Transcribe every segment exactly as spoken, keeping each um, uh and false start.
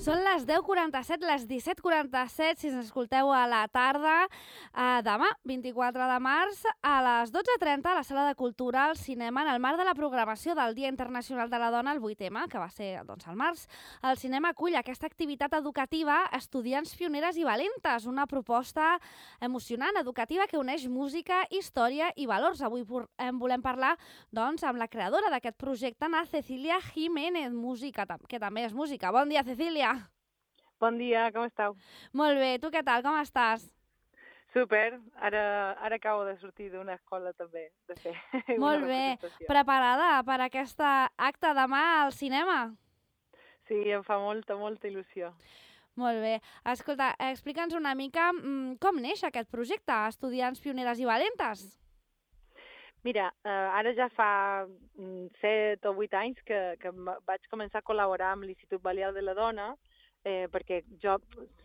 Són les deu quaranta-set, les disset quaranta-set, si ens escolteu a la tarda. Eh, demà, vint-i-quatre de març, a les dotze trenta, a la Sala de Cultura, al cinema, en el marc de la programació del Dia Internacional de la Dona, el vuit ema, que va ser doncs, al març, el cinema acull aquesta activitat educativa Estudiants Pioneres i Valentes, una proposta emocionant, educativa, que uneix música, història i valors. Avui en volem parlar doncs, amb la creadora d'aquest projecte, Ana Cecília Jiménez, música, que també és música. Bon dia, Cecília. Bon dia, com esteu? Molt bé, tu què tal, com estàs? Super, ara, ara acabo de sortir d'una escola també, de fer Molt una bé, representació. Preparada per aquesta acte demà al cinema? Sí, em fa molta, molta il·lusió. Molt bé. Escolta, explica'ns una mica mmm, com neix aquest projecte, Estudiants Pioneres i Valentes? Mira, eh, ara ja fa set o vuit anys que, que vaig començar a col·laborar amb l'Institut Balear de la Dona, eh, perquè jo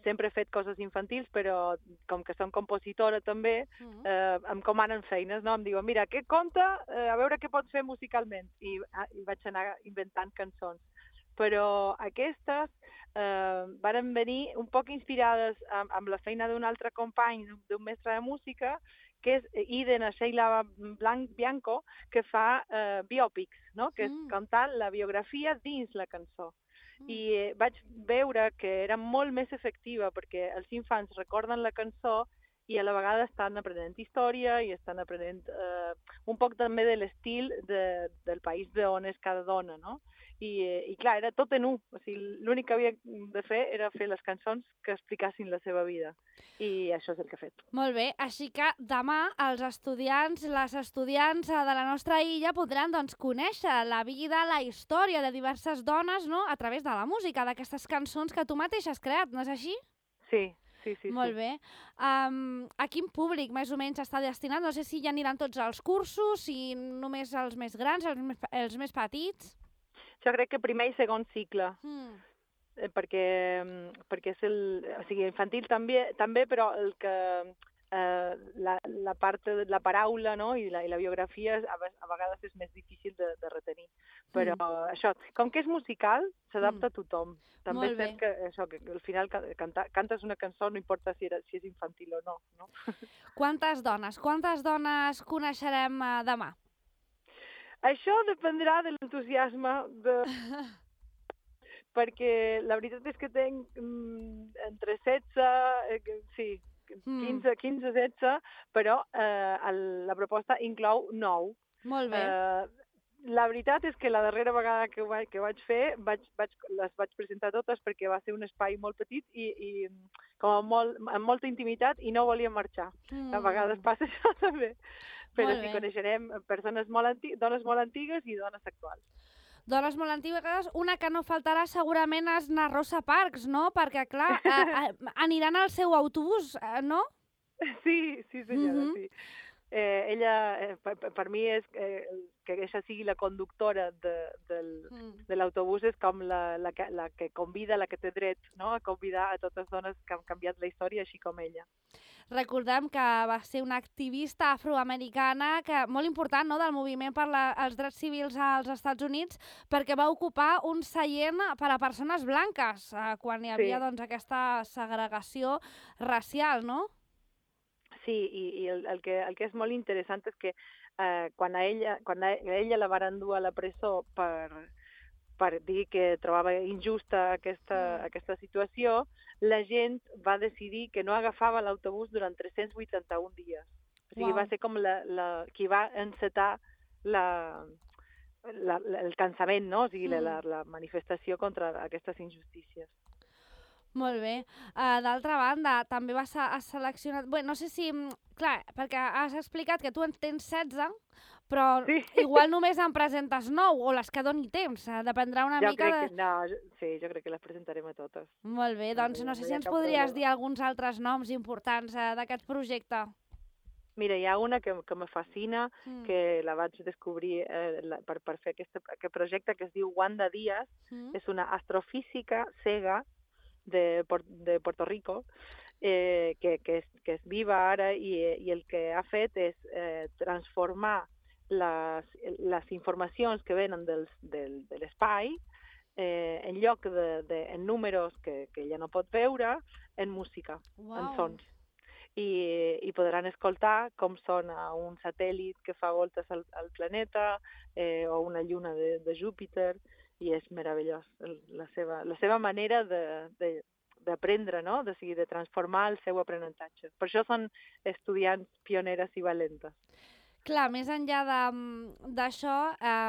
sempre he fet coses infantils, però com que som compositora també, eh, em comanen feines, no? Em diuen, mira, què compta, eh, a veure què pots fer musicalment. I, i vaig anar inventant cançons. Però aquestes eh, varen venir un poc inspirades amb, amb la feina d'un altre company, d'un mestre de música, que és Iden Sheila Bianco, que fa eh, biòpics, no? Que és Mm. cantar la biografia dins la cançó. Mm. I eh, vaig veure que era molt més efectiva perquè els infants recorden la cançó i a la vegada estan aprenent història i estan aprenent eh, un poc també de l'estil de, del país d'on és cada dona, no? I, i clar, era tot en un. O sigui, l'únic que havia de fer era fer les cançons que explicassin la seva vida. I això és el que he fet. Molt bé, així que demà els estudiants, les estudiants de la nostra illa podran doncs, conèixer la vida, la història de diverses dones, no?, a través de la música, d'aquestes cançons que tu mateix has creat, no és així? Sí, sí, sí. Molt sí. bé. Um, a quin públic més o menys està destinat? No sé si ja aniran tots als cursos, si només els més grans, els més, els més petits. Jo crec que primer i segon cicle. Mm. perquè, perquè és el, o sigui, infantil també, també però el que eh, la, la part de la paraula, no? I, la, i la biografia a, a vegades és més difícil de, de retenir. Però mm. això, com que és musical, s'adapta mm. a tothom. També és cert que, això, que al final canta, cantes una cançó, no importa si, era, si és infantil o no. no? Quantes dones, quantes dones coneixerem uh, demà? Això dependrà de l'entusiasme de... perquè la veritat és que tenc mm, entre setze, eh, sí, quinze, quinze, setze, però eh, el, la proposta inclou nou. Molt bé. Eh, la veritat és que la darrera vegada que ho vaig, que vaig fer vaig, vaig, les vaig presentar totes perquè va ser un espai molt petit i, i com amb, molt, amb molta intimitat i no volien marxar. Mm. A vegades passa això també. Però sí coneixerem persones molt anti dones molt antigues i dones actuals. Dones molt antigues, una que no faltarà segurament és na Rosa Parks, no? Perquè, clar, a, a, aniran al seu autobús, no? Sí, sí senyora, mm -hmm. sí. Eh, ella, eh, per, per mi, és eh, que aquesta sigui la conductora de, del, mm. de l'autobús és com la, la, que, la que convida, la que té dret, no?, a convidar a totes les dones que han canviat la història, així com ella. Recordem que va ser una activista afroamericana que, molt important, no?, del moviment per la, els drets civils als Estats Units, perquè va ocupar un seient per a persones blanques, eh, quan hi havia sí. doncs, aquesta segregació racial, no? Sí, i, i el, el, que, el que és molt interessant és que eh, quan, a ella, quan a ella la van endur a la presó per, per dir que trobava injusta aquesta, mm. aquesta situació, la gent va decidir que no agafava l'autobús durant tres-cents vuitanta-un dies. O sigui, wow. va ser com la, la, qui va encetar la, la, la, el cansament, no? O sigui, mm. la, la manifestació contra aquestes injustícies. Molt bé. Uh, D'altra banda, també vas a seleccionar... Bé, no sé si... Clar, perquè has explicat que tu en tens setze, però sí. igual només en presentes nou, o les que doni temps. Dependrà una jo mica crec de... Que, no, sí, jo crec que les presentarem a totes. Molt bé, doncs no sé si ens podries dir alguns altres noms importants uh, d'aquest projecte. Mira, hi ha una que, que me fascina, mm. que la vaig descobrir eh, la, per, per fer aquest, aquest projecte, que es diu Wanda Díaz. Mm. És una astrofísica cega de, de Puerto Rico, eh, que, que, és, que és viva ara i, i el que ha fet és eh, transformar les, les informacions que venen del, del, de l'espai eh, en lloc de, de en números que, que ella no pot veure, en música, Uau. en sons. I, i podran escoltar com sona un satèl·lit que fa voltes al, al planeta eh, o una lluna de, de Júpiter, i és meravellós la seva, la seva manera de, de, d'aprendre, no? De, sigui, de transformar el seu aprenentatge. Per això són estudiants pioneres i valentes. Clar, més enllà d'això,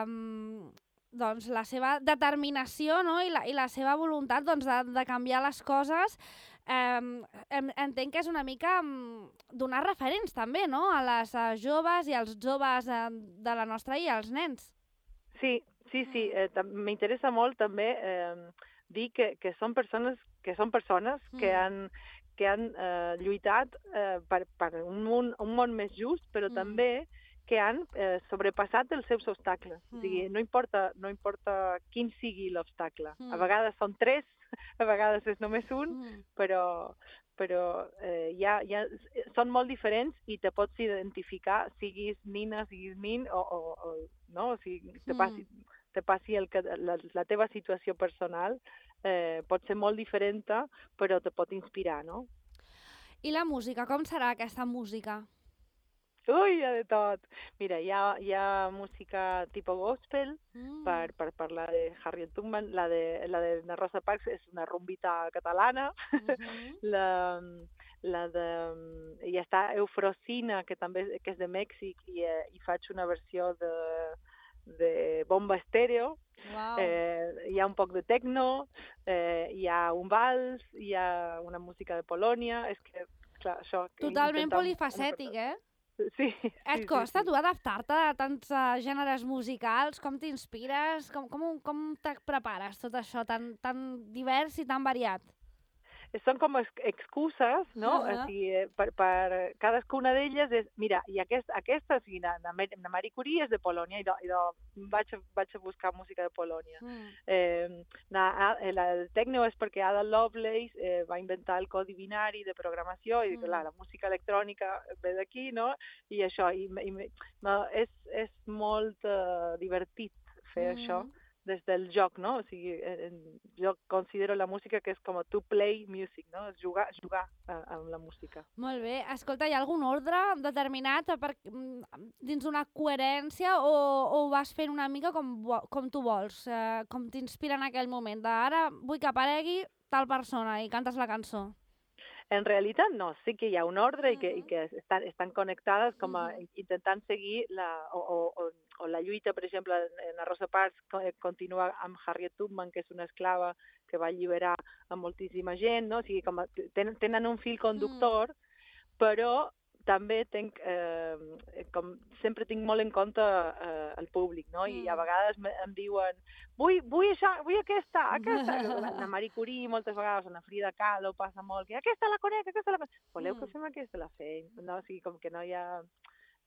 um, doncs la seva determinació, no? I, la, i la seva voluntat doncs, de, de canviar les coses, um, entenc que és una mica um, donar referents també, no? A les uh, joves i als joves uh, de la nostra i als nens. Sí, sí, sí. Eh, m'interessa molt també eh, dir que, que són persones que són persones mm. que han que han eh, lluitat eh, per, per un, món, un món més just, però mm. també que han eh, sobrepassat els seus obstacles. Mm. O sigui, no importa, no importa quin sigui l'obstacle. Mm. A vegades són tres, a vegades és només un, mm. però, però eh, ja, ja són molt diferents i te pots identificar, siguis nina, siguis nin, o, o, o, no? O sigui, te passi, mm. te passi el que, la, la teva situació personal, eh, pot ser molt diferent, però te pot inspirar, no? I la música, com serà aquesta música? Ui, hi ha de tot. Mira, hi ha, hi ha música tipus gospel, mm. per, per parlar de Harriet Tubman, la de, la de la Rosa Parks és una rumbita catalana, mm-hmm. la, la de... I està Eufrosina, que també que és de Mèxic, i, i faig una versió de, de bomba estèreo. Wow. Eh, hi ha un poc de techno, eh, hi ha un vals, hi ha una música de Polònia, és que, clar, això... Totalment polifacètic, eh? Sí. Et sí, costa, sí, sí. tu, adaptar-te a tants uh, gèneres musicals? Com t'inspires? Com, com, com te prepares tot això tan, tan divers i tan variat? Són com excuses, no? Uh-huh. O sigui, per, per cadascuna d'elles és, mira, i aquest, aquesta, o sigui, la, la Marie Curie és de Polònia, i, do, i do, vaig, vaig a buscar música de Polònia. Mm. Eh, la, la, el techno és perquè Ada Lovelace eh, va inventar el codi binari de programació, i mm. la, la música electrònica ve d'aquí, no? I això, i, i, és, és molt uh, divertit fer mm. això des del joc, no? O sigui, eh, jo considero la música que és com a to play music, no? És jugar, jugar eh, amb la música. Molt bé. Escolta, hi ha algun ordre determinat per, dins una coherència o, o ho vas fent una mica com, com tu vols, eh, com t'inspira en aquell moment? De, ara vull que aparegui tal persona i cantes la cançó. En realitat no, sí que hi ha un ordre i que, uh-huh. i que estan, estan connectades com a uh-huh. intentant seguir la, o, o, o la lluita, per exemple, en la Rosa Parks continua amb Harriet Tubman, que és una esclava que va alliberar a moltíssima gent, no? O sigui, com a, tenen, tenen un fil conductor, uh-huh. però també tenc, eh, com sempre tinc molt en compte eh, el públic, no? Mm. I a vegades em diuen vull, vull, això, vull aquesta, aquesta. La, la Marie Curie moltes vegades, la Frida Kahlo passa molt, que aquesta la conec, aquesta la conec. Voleu mm. que fem aquesta? La fem. No? O sigui, com que no hi ha...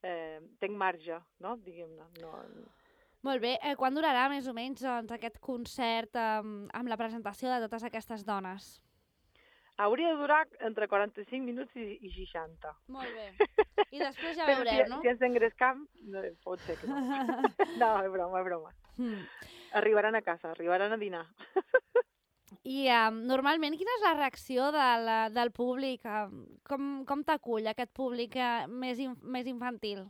Eh, tenc marge, no? Diguem-ne. No, no. Molt bé. Eh, quan durarà més o menys doncs, aquest concert eh, amb la presentació de totes aquestes dones? Hauria de durar entre quaranta-cinc minuts i, i seixanta. Molt bé. I després ja veurem, si, no? Si ens engrescam, no, pot ser que no. No, és broma, és broma. Mm. Arribaran a casa, arribaran a dinar. I um, normalment quina és la reacció del, del públic? Um, com com t'acull aquest públic uh, més, in, més infantil?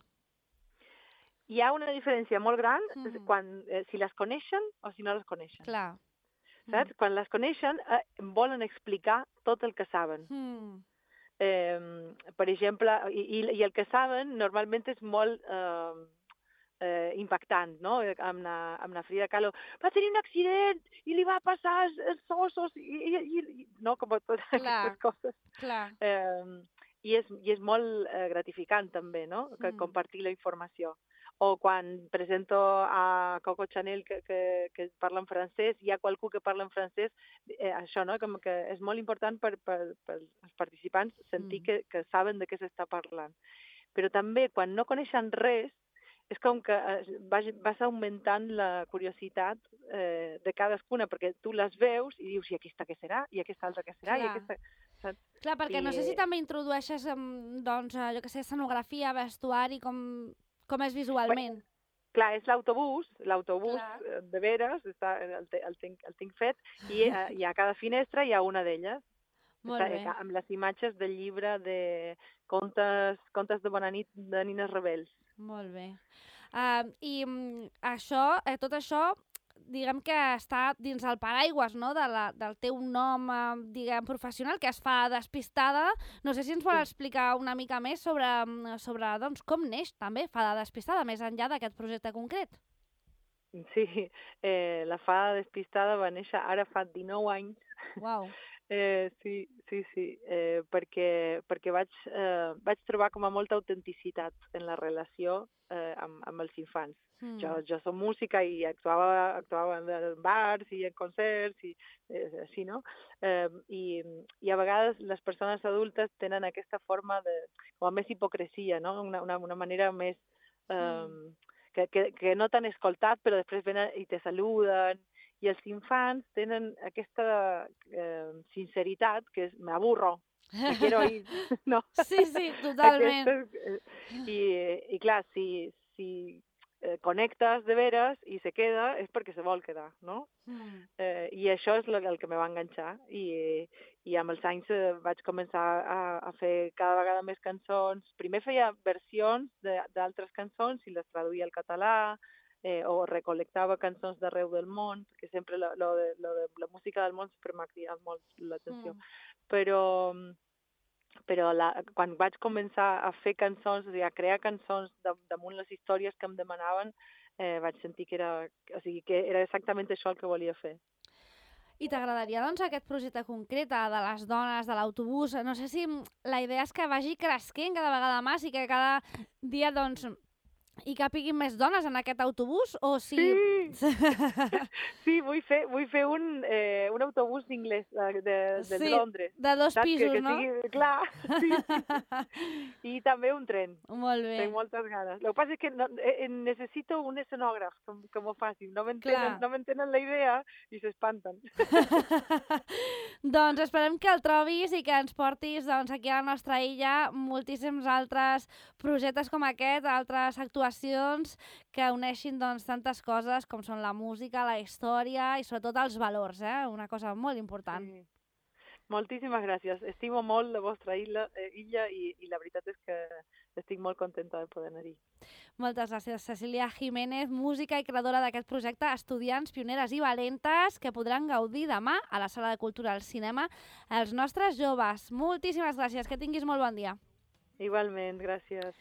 Hi ha una diferència molt gran mm. quan, eh, si les coneixen o si no les coneixen. Clar. Saps? Mm. Quan les coneixen, eh, volen explicar tot el que saben. Mm. Eh, per exemple, i, i el que saben normalment és molt eh, eh, impactant, no? Amb la, amb la Frida Kahlo, va tenir un accident i li va passar els, els ossos, i, i, i, no? Com totes aquestes coses. Clar. Eh, i, és, I és molt eh, gratificant també, no? Que, mm. compartir la informació. O quan presento a Coco Chanel que, que, que parla en francès, hi ha qualcú que parla en francès, eh, això, no? Com que és molt important per, per, per als participants sentir mm. que, que saben de què s'està parlant. Però també, quan no coneixen res, és com que vas, vas augmentant la curiositat eh, de cadascuna, perquè tu les veus i dius, i aquesta què serà? I aquesta altra què serà? Clar. I aquesta... Saps? Clar, perquè I, no sé si també introdueixes, doncs, jo què sé, escenografia, vestuari, com... Com és visualment? clar, és l'autobús, l'autobús Clar. de veres, està, el, te- el, tinc, el tinc fet, i eh, hi ha a cada finestra hi ha una d'elles. Molt Està, bé. eh, amb les imatges del llibre de contes, contes de bona nit de Nina Rebels. Molt bé. Uh, I mm, això, eh, tot això, diguem que està dins el paraigües, no?, de la, del teu nom, eh, diguem, professional, que es fa Despistada. No sé si ens vol Sí. explicar una mica més sobre, mm, sobre doncs, com neix també Fada Despistada, més enllà d'aquest projecte concret. Sí, eh, la fada despistada va néixer ara fa dinou anys. Uau. Eh, sí, sí, sí, eh, perquè, perquè vaig, eh, vaig trobar com a molta autenticitat en la relació eh, amb, amb els infants. Mm. Jo, jo som música i actuava, actuava en bars i en concerts i eh, així, no? Eh, i, I a vegades les persones adultes tenen aquesta forma de, com a més hipocresia, no? Una, una, una manera més... Eh, Mm. que, que, que no t'han escoltat però després venen i te saluden. I els infants tenen aquesta eh, sinceritat que és, me aburro, me quiero ir, no? Sí, sí, totalment. Aquesta, eh, i, I clar, si, si eh, connectes de veres i se queda és perquè se vol quedar, no? Mm. Eh, I això és el que me va enganxar. I, i amb els anys eh, vaig començar a, a fer cada vegada més cançons. Primer feia versions d'altres cançons i les traduïa al català, eh, o recolectava cançons d'arreu del món, perquè sempre lo, lo de, lo de la música del món sempre m'ha cridat molt l'atenció. Mm. Però, però la, quan vaig començar a fer cançons, o sigui, a crear cançons damunt les històries que em demanaven, eh, vaig sentir que era, o sigui, que era exactament això el que volia fer. I t'agradaria, doncs, aquest projecte concret de les dones, de l'autobús? No sé si la idea és que vagi cresquent cada vegada més i que cada dia, doncs, hi capiguin més dones en aquest autobús, o si... Sí, sí, vull fer, vull fer un, eh, un autobús inglès de, de, de Sí, Londres. de dos Saps? pisos, que, que no? sigui, clar, sí, sí. I també un tren. Molt bé. Tenc moltes ganes. El que passa és que no, eh, necessito un escenògraf que, que m'ho faci. No m'entenen no m'entenen la idea i s'espanten. Doncs esperem que el trobis i que ens portis, doncs, aquí a la nostra illa moltíssims altres projectes com aquest, altres actuacions que uneixin, doncs, tantes coses com són la música, la història i sobretot els valors, eh? Una cosa molt important. Sí. Moltíssimes gràcies. Estimo molt la vostra illa, eh, illa i, i la veritat és que estic molt contenta de poder anar-hi. Moltes gràcies, Cecília Jiménez, música i creadora d'aquest projecte Estudiants, Pioneres i Valentes, que podran gaudir demà a la Sala de Cultura al Cinema els nostres joves. Moltíssimes gràcies, que tinguis molt bon dia. Igualment, gràcies.